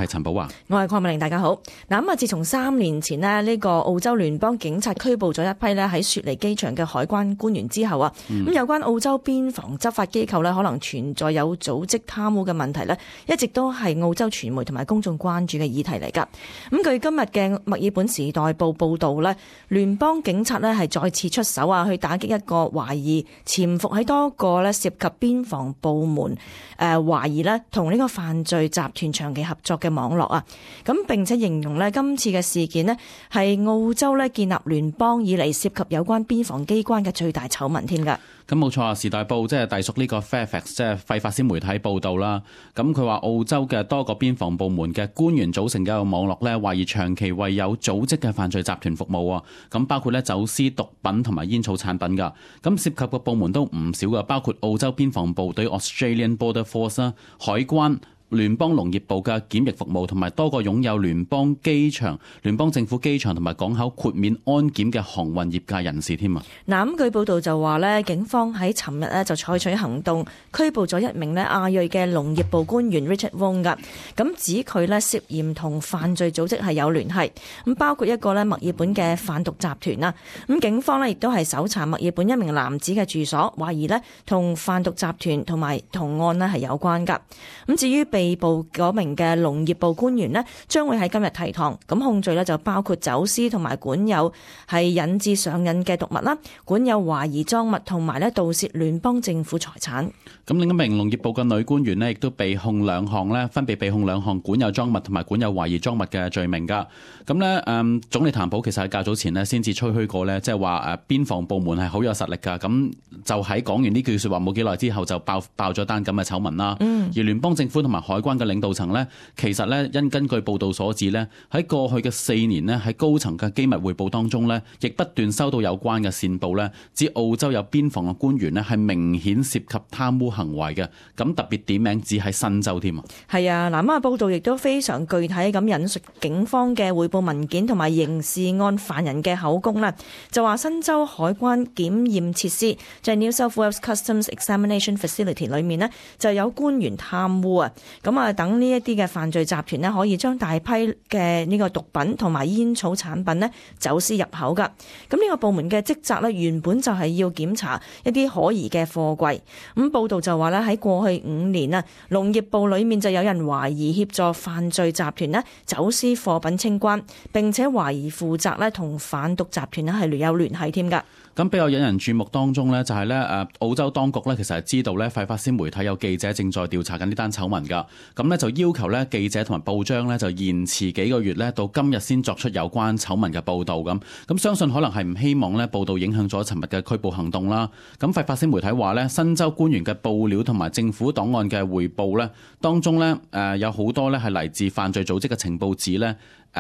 係陳寶華，我係鄺美玲，大家好。嗱，自從3年前呢個澳洲聯邦警察拘捕咗一批呢喺雪梨機場嘅海關官員之後啊，咁有關澳洲邊防執法機構呢可能存在有組織貪污嘅問題呢，一直都係澳洲傳媒同埋公眾關注嘅議題嚟㗎。咁據今日嘅墨爾本時代報報導呢，聯邦警察呢係再次出手啊，去打擊一個懷疑潛伏喺多個呢涉及邊防部門懷疑呢同呢個犯罪集團長期合作嘅網絡啊，咁並且形容呢今次嘅事件呢係澳洲呢建立聯邦以嚟涉及有關邊防機關嘅最大醜聞添㗎。咁冇錯啊，時代報即係隸屬呢個 Fairfax 即係費法斯媒體報導啦。咁佢話澳洲嘅多個邊防部門嘅官員組成嘅一個網絡呢，懷疑長期為有組織嘅犯罪集團服務啊。咁包括呢走私毒品同埋煙草產品㗎。咁涉及嘅部門都唔少㗎，包括澳洲邊防部隊 Australian Border Force 啦、海關、聯邦農業部嘅檢疫服務同埋多個擁有聯邦機場、聯邦政府機場同埋港口豁免安檢嘅航運業界人士添啊！嗱，咁據報道就話咧，警方喺尋日咧就採取行動，拘捕咗一名咧亞裔嘅農業部官員 Richard Wong 噶，咁指佢咧涉嫌同犯罪組織係有聯繫，咁包括一個咧墨爾本嘅販毒集團啦。咁警方咧亦都係搜查墨爾本一名男子嘅住所，懷疑咧同販毒集團同埋同案咧係有關噶。咁至於被捕嗰名嘅農業部官員呢，將會喺今日提堂，咁控罪呢就包括走私同埋管有係引致上癮嘅毒物啦，管有懷疑贓物同埋呢盜竊聯邦政府財產。咁另一名農業部嘅女官員呢，亦都被控兩項呢，分別被控兩項管有贓物同埋管有懷疑贓物嘅罪名噶。咁呢，總理譚普其實喺較早前呢先至吹噓過呢，即係話邊防部門係好有實力噶。咁就喺講完呢句說話冇幾耐之後就爆咗單咁嘅醜聞啦。而聯邦政府同埋海關嘅領導層呢，其實呢，因根據報道所指呢，喺過去嘅4年呢，喺高層嘅機密匯報當中呢，亦不斷收到有關嘅線報呢，指澳洲有邊防嘅官員呢係明顯涉及貪污行為嘅，咁特別點名指喺新州添啊。係啊，嗱，報道亦都非常具體咁引述警方嘅匯報文件同埋刑事案犯人嘅口供啦，就話新州海關檢驗設施就係 New South Wales Customs Examination Facility 裏面呢，就有官員貪污啊，咁等呢一啲嘅犯罪集團呢，可以將大批嘅呢個毒品同埋煙草產品呢走私入口噶。咁呢個部門嘅職責呢，原本就係要檢查一啲可疑嘅貨櫃。咁報道就話呢，喺過去5年啊，農業部裏面就有人懷疑協助犯罪集團呢走私貨品清關，並且懷疑負責呢同販毒集團呢係有聯繫添噶。咁比較引人注目當中呢，就係呢澳洲當局呢，其實係知道呢費法斯媒體有記者正在調查緊呢單醜聞㗎。咁呢，就要求呢記者同埋報章呢，就延遲幾個月呢，到今日先作出有關醜聞嘅報導咁。咁相信可能係唔希望呢報導影響咗尋日嘅拘捕行動啦。咁費法斯媒體話呢，新州官員嘅報料同埋政府檔案嘅匯報呢，當中呢，有好多呢係嚟自犯罪組織嘅情報指呢。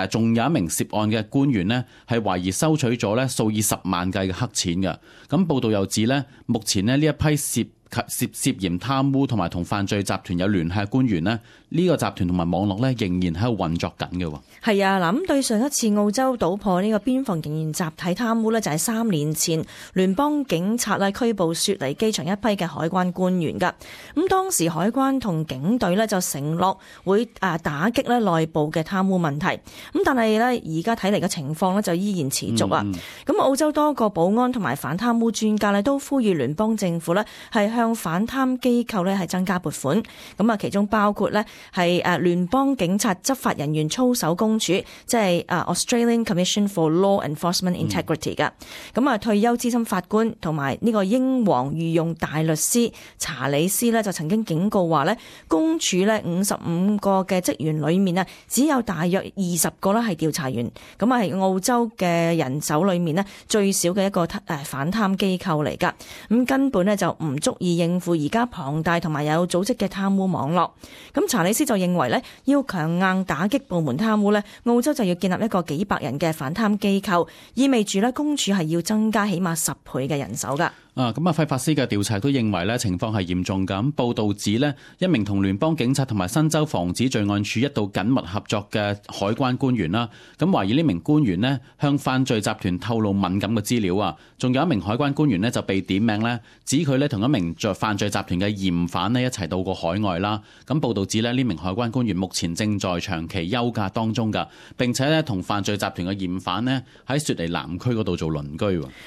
仲有一名涉案嘅官員呢，係懷疑收取咗呢數以10萬計嘅黑錢嘅。咁報道又指呢，目前呢一批涉嫌貪污同埋同犯罪集團有聯繫嘅官員呢，呢個集團同埋網絡呢，仍然喺度運作緊嘅。係啊，嗱，咁對上一次澳洲搗破呢個邊防仍然集體貪污呢，就係3年前聯邦警察呢拘捕雪梨機場一批嘅海關官員㗎。咁當時海關同警隊呢就承諾會打擊呢內部嘅貪污問題。咁但係呢，而家睇嚟嘅情況呢就依然持續啊。咁澳洲多個保安同埋反貪污專家呢都呼籲聯邦政府呢係向反貪機構呢係增加撥款。咁其中包括呢係聯邦警察執法人員操守公署，即係Australian Commission for Law Enforcement Integrity 㗎。咁退休資深法官同埋呢個英皇御用大律師查理斯呢就曾經警告話呢，公署呢55個嘅職員裏面呢，只有大約20個呢係調查員。咁係澳洲嘅人手裏面呢最少嘅一個反貪機構嚟㗎。咁根本呢就唔足以應付而家龐大同埋有組織嘅貪污網絡。咁查理斯就認為呢，要強硬打擊部門貪污呢，澳洲就要建立一個幾百人嘅反貪機構，意味住呢公署係要增加起碼10倍嘅人手㗎。費法斯嘅調查都認為呢情況係嚴重㗎。報道指呢，一名同聯邦警察同埋新州防止罪案處一度緊密合作嘅海關官員啦，咁懷疑呢名官員呢向犯罪集團透露敏感嘅資料啊。仲有一名海關官員呢就被點名呢，指佢呢同一名犯罪集團嘅嫌犯呢一齊到過海外啦。咁報道指呢名海關官員目前正在長期休假當中㗎，並且呢同犯罪集團嘅嫌犯呢喺雪梨南區嗰度做鄰居。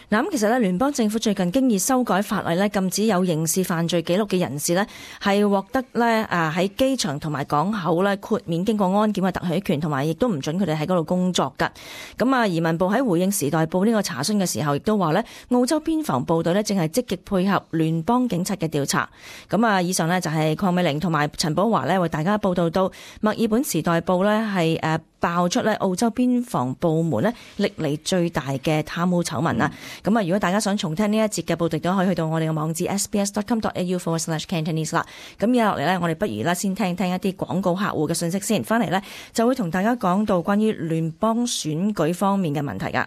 嗱，咁其實呢聯邦政府最近經已修改法例呢，禁止有刑事犯罪記錄嘅人士呢係獲得呢喺機場同埋港口呢豁免經過安檢嘅特許權，同埋亦都唔准佢哋喺嗰度工作㗎。咁啊，移民部喺回應時代報呢個查詢嘅時候，亦都話呢澳洲邊防部隊呢正係積極配合聯邦警察嘅調查。咁啊，以上呢就係鄺美玲同埋陳寶華呢為大家報道到墨爾本時代報呢係爆出呢澳洲邊防部門呢歷嚟最大嘅貪污醜聞啦。咁啊，如果大家想重聽呢一節嘅報道，都可以去到我哋嘅網址 sbs.com.au/Cantonese 啦。咁而家落嚟呢，我哋不如呢先聽一啲廣告客戶嘅信息先，翻嚟呢就會同大家講到關於聯邦選舉方面嘅問題㗎。